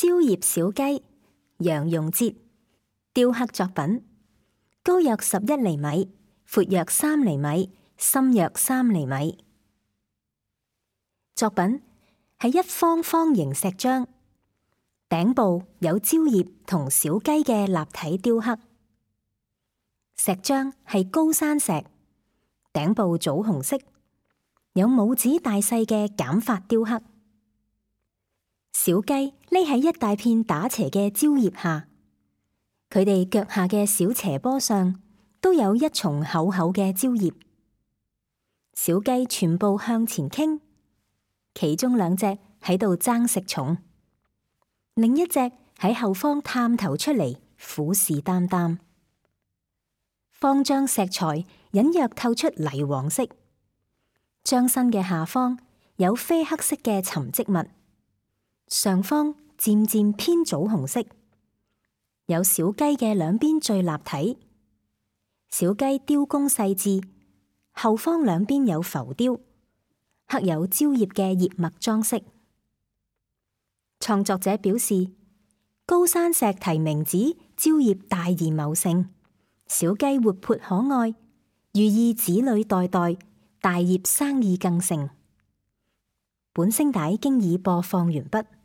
蕉葉小雞，楊庸哲，雕刻作品，高約11厘米，闊約3厘米，深約3厘米。作品係一方方形石漿，頂部有蕉葉同小雞嘅立體雕刻。石漿係高山石，頂部棗紅色，有拇指大細嘅減法雕刻。小雞匿喺一大片打斜嘅蕉葉下，佢哋腳下嘅小斜坡上都有一叢厚厚嘅蕉葉。小雞全部向前傾，其中2隻喺度爭食蟲，另一隻喺後方探頭出嚟，虎視眈眈。方漿石材隱約透出泥黃色，漿身嘅下方有啡黑色嘅沉積物，上方漸漸偏棗紅色，有小雞嘅兩邊最立體。小雞雕工細緻，後方兩邊有浮雕，刻有蕉葉嘅葉脈裝飾。創作者表示，高山石題名指蕉葉大而茂盛，小雞活潑可愛，寓意子女代代，大業生意更盛。本聲帶經已播放完畢。